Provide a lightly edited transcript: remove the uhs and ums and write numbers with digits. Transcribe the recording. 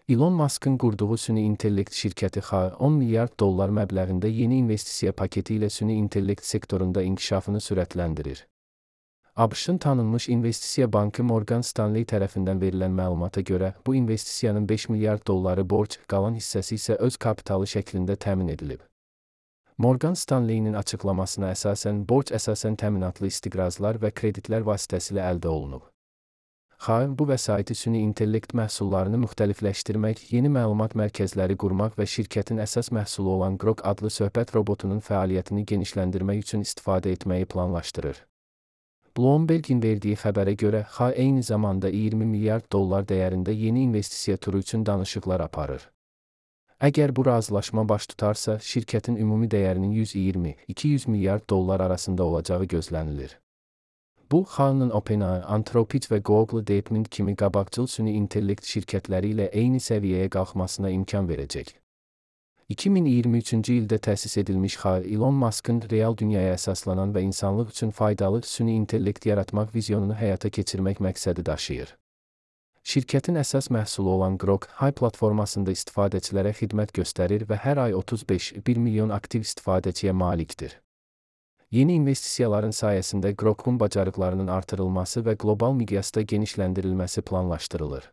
Elon Musk'ın qurduğu süni intellekt şirkəti XAI 10 milyard dollar məbləğində yeni investisiya paketi ilə süni intellekt sektorunda inkişafını sürətləndirir. ABŞ-ın tanınmış investisiya bankı Morgan Stanley tərəfindən verilən məlumata görə, bu investisiyanın 5 milyard dolları borc, qalan hissəsi isə öz kapitalı şəklində təmin edilib. Morgan Stanley'nin açıqlamasına əsasən, borc əsasən təminatlı istiqrazlar və kreditlər vasitəsilə əldə olunub. XAI bu vəsaiti süni intellekt məhsullarını müxtəlifləşdirmək, yeni məlumat mərkəzləri qurmaq və şirkətin əsas məhsulu olan Grok adlı söhbət robotunun fəaliyyətini genişləndirmək üçün istifadə etməyi planlaşdırır. Bloomberg'in verdiyi xəbərə görə, XAI eyni zamanda 20 milyard dollar dəyərində yeni investisiya turu üçün danışıqlar aparır. Əgər bu razılaşma baş tutarsa, şirkətin ümumi dəyərinin 120-200 milyard dollar arasında olacağı gözlənilir. Bu, XAI-nın OpenAI, Anthropic və Google DeepMind kimi qabaqcıl süni intellekt şirkətləri ilə eyni səviyyəyə qalxmasına imkan verəcək. 2023-cü ildə təsis edilmiş XAI, Elon Musk'ın real dünyaya əsaslanan və insanlıq üçün faydalı süni intellekt yaratmaq vizyonunu həyata keçirmək məqsədi daşıyır. Şirkətin əsas məhsulu olan Grok, XAI platformasında istifadəçilərə xidmət göstərir və hər ay 35,1 milyon aktiv istifadəçiyə malikdir. Yeni investisiyaların sayəsində Grok'un bacarıqlarının artırılması və qlobal miqyasda genişləndirilməsi planlaşdırılır.